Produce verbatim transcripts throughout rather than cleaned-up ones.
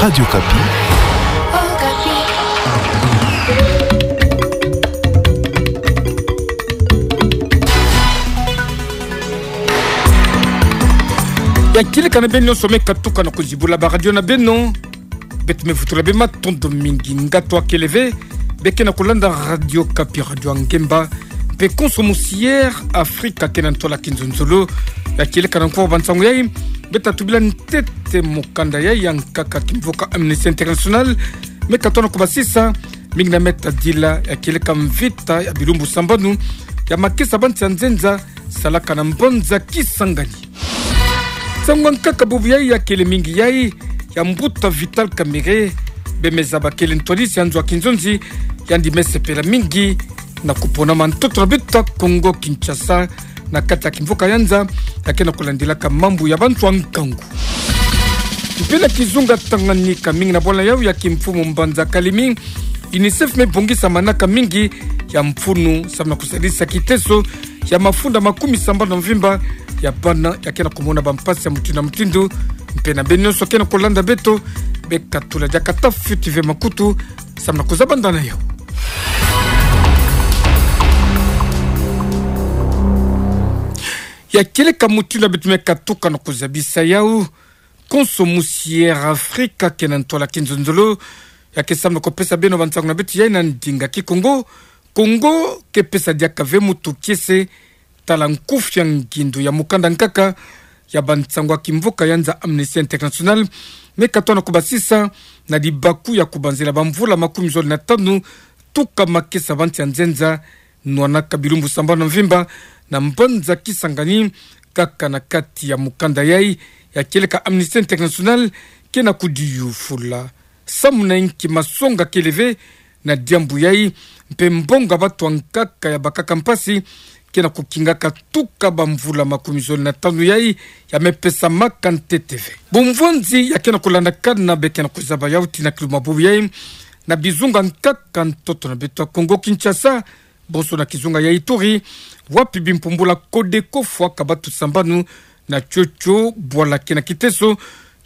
Radio Okapi. Ya kieleka na beno nyonso me katuka na kuzibula ba radio na beno. Beto me vutula bê matondo mingi. Ngatu akele ve, bê ke na kulanda Radio Okapi, radio ya ngemba. Mpe konso musi Air Afrika ke na ntwala kinzonzolo. Ya kieleka na nkoa ba nsangu yai, beto tubila ntete mokanda yai ya nkaka kimvoka Amnesty International me katono kubasisa, mingi na me tadila ya kieleka mvita ya bilumbu sambanu ya makesa ba nsi ya nzenza salaka na mbanza Kisangani. Nsangu ya nkaka bubu yai ya kele mingi yai ya mbuta Vital Kamerhe, bê me zaba kele ntwadisi ya nzo ya kinzonzi, yandi me sepela mingi na kuponama ntoto na beto ya Kongo Kinshasa, na kati ya kimvoka Nyanza, ya ke na kulandilaka mambu ya bantu ya nkangu. Mpe na kizunga Tanganyika, mingi na bwala yau ya kimfumu mbanza Kalemi, UNICEF me bongisa manaka mingi ya mfunu samu na kusadisa kiteso ya mafunda makumi sambanu na mvimba ya bana ya ke na kumona bampasi ya mutindu na mutindu. Mpe na beno nyonso ke na kulanda beto, bê katula diaka tafiti ve makutu samu na kuzabanda na yau. Ya kieleka mutindu ya beto me katuka na kuzabisa yau, konso musi Air Afrika ke na ntwala kinzonzolo, ya ke samu na kupesa beno ba nsangu na beto yai na ndinga Kikongo. Kongo ke pesa diaka ve mutu kiese tala nkufi ya ngindu ya mukanda nkaka ya ba nsangu ya kimvoka Nyanza Amnesty International me katono kubasisa, na libaku ya kubanzila bamvula makumi zole na tanu tuka makesa ba nsi ya nzenza nwanaka bilumbu sambanu na mvimba na mbanza Kisangani, kaka na kati ya mukanda yai ya kieleka Amnesty International ke na kudiyufula samu na inki masonga kele ve na diambu yai, mpe mbongo ya batu ya nkaka ya bakaka mpasi ke na kukingaka tuka bamvula makumi zole na tanu yai ya me pesamaka ntete ve. Bumvwanzi ya ke na kulandakana bê ke na kuzaba yau tii na kiluma bubu yai na bizunga nkaka ntoto na beto ya Kongo Kinshasa, bonso na kizunga ya Ituri, wapi bimpumbula Codeco fwaka batu sambanu na tiotio bwala ke na kiteso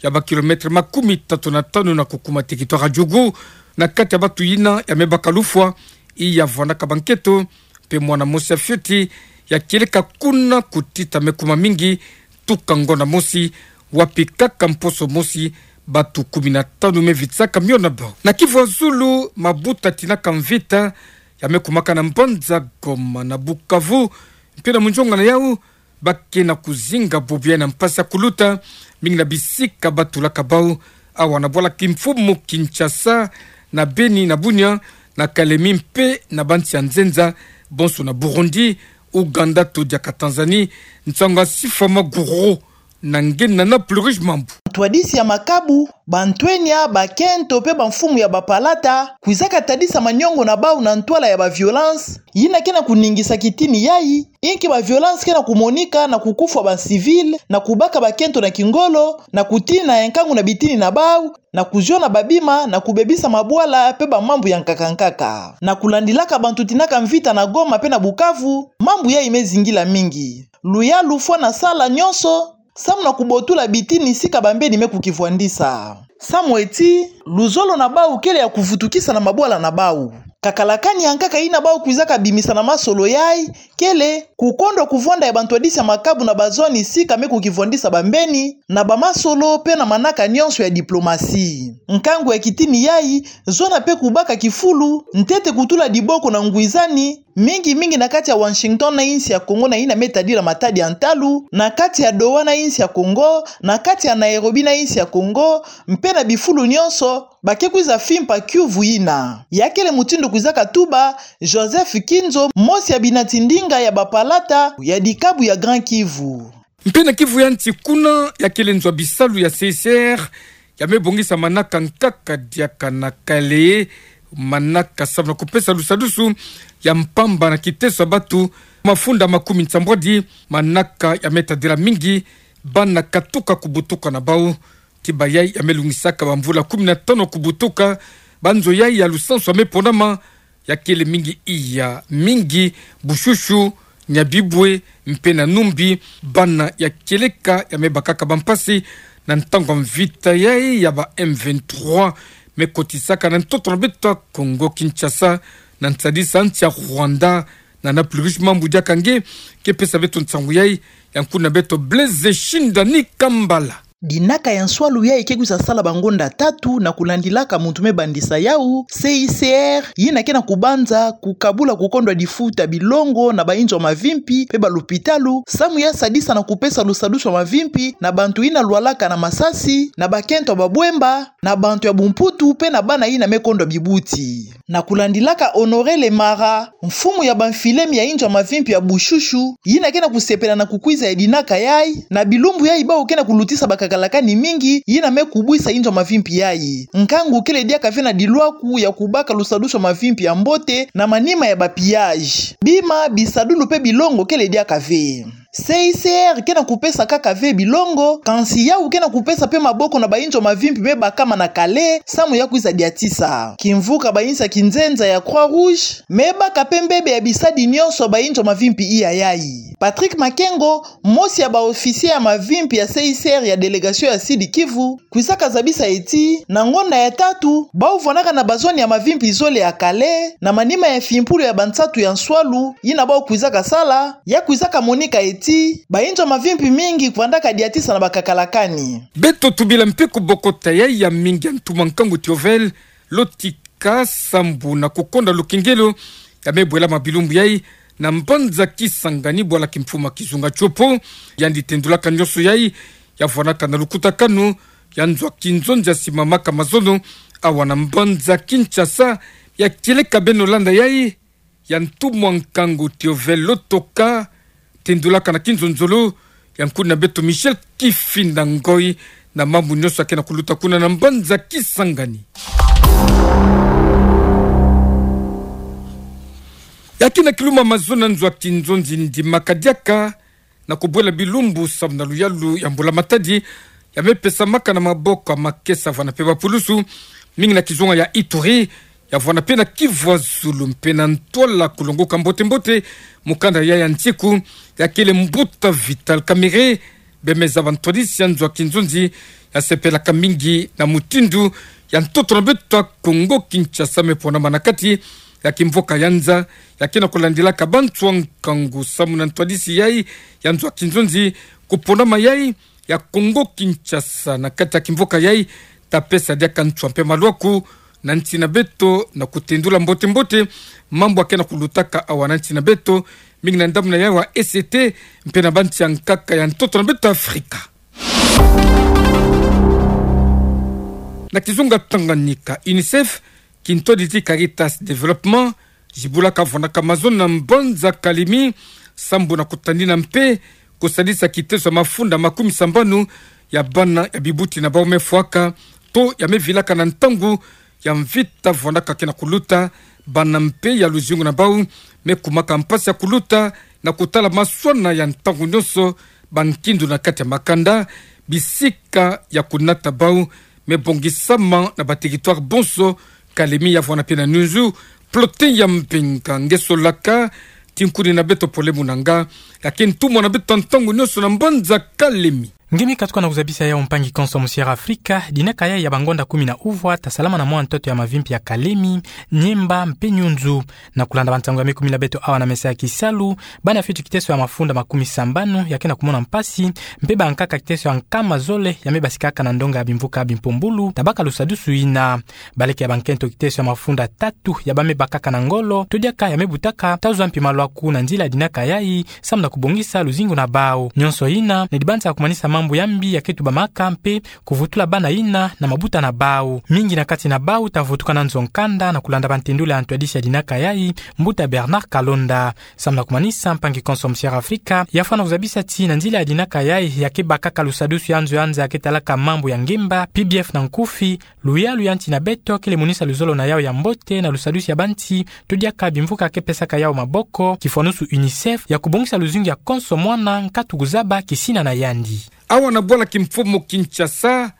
ya ba kilomètre makumi tatu na tanu na kukuma territoire ya Djugu, na kati ya batu yina ya me baka lufwa, i ya vwandaka ba nketo, mpe mwana mosi ya fioti ya kieleka kuna kutita me kuma mingi tuka ngonda mosi, wapi kaka mposo mosi batu kumi na tanu me vitisaka mio na bau. Na Kivu ya Zulu, mabuta tinaka mvita ya me kumaka na mbanza Goma na Bukavu, mpe na munzonga na yau, ba ke na kuzinga bubu yai na mpasi ya kuluta, mingi na bisika ba tulaka bau, awa na bwala kimfumu Kinshasa, na Beni, na Bunia, na Kalemi mpe na ba nsi ya nzenza, bonso na Burundi, Ouganda to diaka Tanzanie. Nsangu ya Sifa Maguru na nge na na Plurish Mambu. Ntwadisi ya makabu, bantwenia, bakento mpe bamfumu ya bapalata kwizaka tadisa maniongo na bau na ntwala ya ba violence yina ke na kuningisa kitini yai, inki ba violence ke na kumonika na kukufwa ba civil, na kubaka bakento na kingolo, na kutina ya nkangu na bitini na bau, na kuziona babima, na kubebisa mabwala mpe bamambu ya nkaka nkaka. Na kulandilaka bantu tinaka mvita na Goma mpe na Bukavu, mambu yai me zingila mingi. Luyalu fwa na sala nyonso samu na kubotula bitini sika bambeni me kukivwandisa. Samu eti luzolo na bau kele ya kuvutukisa na mabwala na bau. Kakalakani ya nkaka yina bau kwizaka bimisa na masolo yai kele kukondwa kuvwanda ya bantwadisi ya makabu na bazwani sika me kukivwandisa bambeni, na bamasolo mpe na manaka nyonso ya diplomasi. Nkangu ya kitini yai, zona mpe kubaka kifulu, ntete kutula diboko na ngwizani, mingi mingi na kati ya Washington na insi ya Congo na yina me tadila matadi ya ntalu, na kati ya Doha na insi ya Congo, na kati ya Nairobi na insi ya Congo, mpe na bifulu nyonso ba ke kwiza fimpa kiuvu yina. Ya kele mutindu kwizaka tuba Joseph Kinzo, mosi ya binati ndinga ya bapalata ya dikabu ya Grand Kivu. Mpe na Kivu ya Nsi kuna, ya kele nzo ya bisalu ya C I C R ya me bongisa manaka nkaka diaka na Kalehe, manaka samu na kupesa lusadusu ya mpamba na kiteso ya batu mafunda makumi nsambwadi, manaka ya me tadila mingi bana katuka kubutuka na bau. Ti bayai ya me lungisaka bamvula kumi na tanu kubutuka, banzo yai ya lusansu ya me ponama, ya kele mingi iya, mingi Bushushu, Nyabibwe, mpe na Numbi, bana ya kieleka ya me bakaka bampasi Na ntangu ya mvita yai ya ba M vingt-trois me kotisaka na ntoto na beto ya Congo Kinshasa, na nsadisa nsi ya Rwanda, na na plus riche mambu diaka nge, ke pesa beto nsangu yai, ya nkuna beto Blaise Shindani Kambala. Dinaka ya nswalu yai ke kwiza sala bangonda tatu na kulandilaka muntu me bandisa yau, C I C R, yina ke na kubanza kukabula kukondwa difuta bilongo na bainzo ya mavimpi pe balopitalo, samu ya sadisa na kupesa lusadusu ya mavimpi na bantu yina lwalaka na masasi, na bakento ya babwemba, na bantu ya bumputu pe na bana yina me kondwa bibuti. Na kulandilaka Honoré Lemara, mfumu ya bamfilemi ya inzo ya mavimpi ya Bushushu, yina ke na kusepela na kukwiza ya dinaka yai, na bilumbu yai bau ke na kulutisa bakakalakani mingi, yina me kubwisa inzo ya mavimpi yai. Nkangu kele diaka ve na dilwaku ya kubaka lusadusu ya mavimpi ya mbote, na manima ya ba pillage. Bima, bisadulu pe bilongo kele diaka ve. C I C R ke na kupesa kaka ve bilongo, kansi yau ke na kupesa pe maboko na bainzo ya mavimpi me bakama na Calais, samu ya kwiza diatisa. Kimvuka bainsi ya kinzenza ya Croix-Rouge me baka pe mbebe ya bisadi nyonso ya bainzo ya mavimpi iya yai. Patrick Makengo, mosi ya ba officier ya mavimpi ya C I C R ya délégation ya Sud-Kivu, kwizaka zabisa ti, na ngonda ya tatu, bau vwanaka na bazone ya mavimpi zole ya Calais, na manima ya fimpulu ya bansatu ya nswalu, yina bau kwizaka sala, ya kwizaka monika ti, bainzo ya mavimpi mingi vwandaka diatisa na bakakalakani. Beto tubila mpe kubokota yai ya mingi ya ntumwa nkangu Théophile Lotika sambu na kukonda lukengelo ya me bwelama bilumbu yai na mbanza Kisangani, bwala kimfumu ya kizunga Tshopo, yandi tendulaka nyonso yai, ya vwanaka na lukutakanu ya nzo ya kinzonzi ya simamaka mazono awa na mbanza Kinshasa, ya kieleka beno landa yai, ya ntumwa nkangu Théophile Lotika, tendulaka na kinzonzolo ya nkuna beto Michel Kifinda Ngoi, na mambu nyonso ya ke na kuluta kuna na mbanza Kisangani. Ya kina kiluma mazono na nzo ya kinzonzi ndimaka diaka na kubwela bilumbu samu na luyalu ya mbula matadi, ya me pesamaka na maboko ya makesa vana mpe bapulusu, mingi na kizunga ya Ituri, ya vana mpe na Kivu ya Zulu mpe na ntwala kulongoka mbote-mbote mukanda yai ya nsiku, ya kele mbuta Vital Kamerhe, bemeza bantwadisi ya nzo ya kinzonzi, ya sepelaka mingi na mutindu ya ntoto na beto ya Congo Kinshasa me ponama na kati ya kimvuka ya nza, ya ke na kulandilaka banswa nkangu samu na ntwadisi yai ya nzo ya kinzonzi, kuponama yai ya Congo Kinshasa na kati ya kimvuka yai, ta pesa diaka nswa mpe malwaku na nsi na beto na kutendula mbote-mbote mambu ya ke na kulutaka awa na nsi na beto, mingi na ndamuna yai wa E C T mpe na bansi ya nkaka ya ntoto na beto Afrika. Na kizunga Tanganyika, UNICEF, kintwadi ti Caritas Développement, zibulaka vwanaka mazono na mbanza Kalemi, sambu na kutanina mpe kusadisa kiteso ya mafunda makumi sambanu ya bana ya bibuti na bau me fwaka, to ya me vilaka na ntangu ya mvita vwanaka ke na kuluta, bana mpe ya luzingu na bau me kumaka mpasi ya kuluta na kutala maswana ya ntangu nyonso bankindu na kati ya makanda, bisika ya kunata bau me bongisama na ba territoire bonso. Kalemi ya vwana mpe na nunzu, Plotin ya Mbenga nge solaka, tinkuni na beto Pole Munanga, ya ke ntumwa na beto ntangu nyonso na mbanza Kalemi. Nge me katuka na kuzabisa yau mpangi konso Musière Afrika, dinaka yai ya bangonda kumi na uvwa ta salama na mwa ntoto ya mavimpi ya Kalemi, Niemba mpe Nunzu. Na kulanda bansangu ya me kumila beto awa na mesa ya kisalu, bana ya fioto kiteso ya mafunda makumi sambanu ya ke na kumona mpasi, mpe bankaka kiteso ya nkama zole ya me basikaka na ndonga ya bimvuka bimpumbulu, ta baka lusadusu yina. Baleke ya bankento kiteso ya mafunda tatu ya ba me bakaka na ngolo, to diaka ya me butaka, ta zwa mpi malwaku na nzila ya dinaka yai, samu na kubongisa luzingu na bau. Nyonso yina, ni dibanza ya kumanisa mambu ya mbi ya ke tubamaka mpe kuvutula bana yina na mabuta na bau. Mingi na kati na bau ta vutuka na nzo nkanda na kulanda bantendula ya ntwadisi ya dinaka yai, mbuta Bernard Kalonda. Samu na kumanisa, mpangi konso Musière Afrika ya fwana kuzabisa ti na nzila ya dinaka yai ya ke bakaka lusadusu ya nzo ya nza ya ke talaka mambu ya ngemba, P B F na nkufi, luyalu ya nsi na beto kele monisa luzolo na yau ya mbote na lusadusu ya bansi, to diaka bimvuka ke pesaka yau maboko, kifwanusu UNICEF, ya kubongisa luzingu ya konso mwana nkatu kuzaba kisina na yandi. Awa na bwala kimfumu Kinshasa,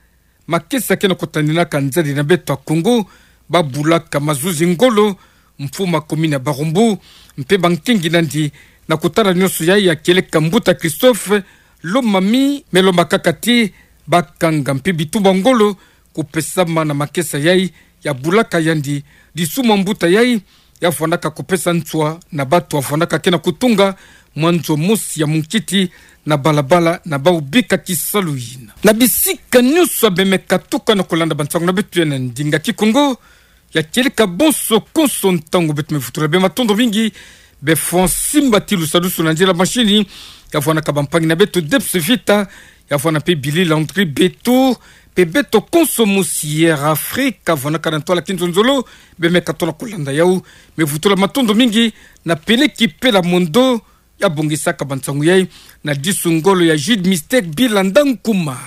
makesa ke na kutaninaka nzadi na beto ya Kongo, ba bulaka mazuzi ngolo, mfumu ya komini ya Barumbu, mpe bankingi nandi, na kutala nyonso yai ya kieleka mbuta Christophe Lomami, me lombakaka ti, bakanga mpe bitumba ngolo kupesamana makesa yai, ya bulaka yandi, disuma mbuta yai, ya fwanaka kupesa ntswa na batu afwanaka ke na kutunga mwanzo mosi ya munkiti na balabala na bau bika kisalu yina. Na bisika nyonso ya bemeka tukana kulanda bansangu na beto ya na ndinga Kikongo, ya kieleka bonso konso ntangu beto me vutula bê matondo mingi, bê Francis Mbati Lusadusu na nzila mashini, ya fwanaka bampangi na beto Debs Vita, ya fwana mpe Billy Landry Beto, mpe beto konso mosi ya Air Afrique, ya fwanaka na ntwala kinzonzolo, bemeka tona kulanda yau, me vutula matondo mingi na Peleki Pela Mondo, ya bongisaka bansangu yai, na disu ngolo ya Jude Mystère Bilanda Nkuma.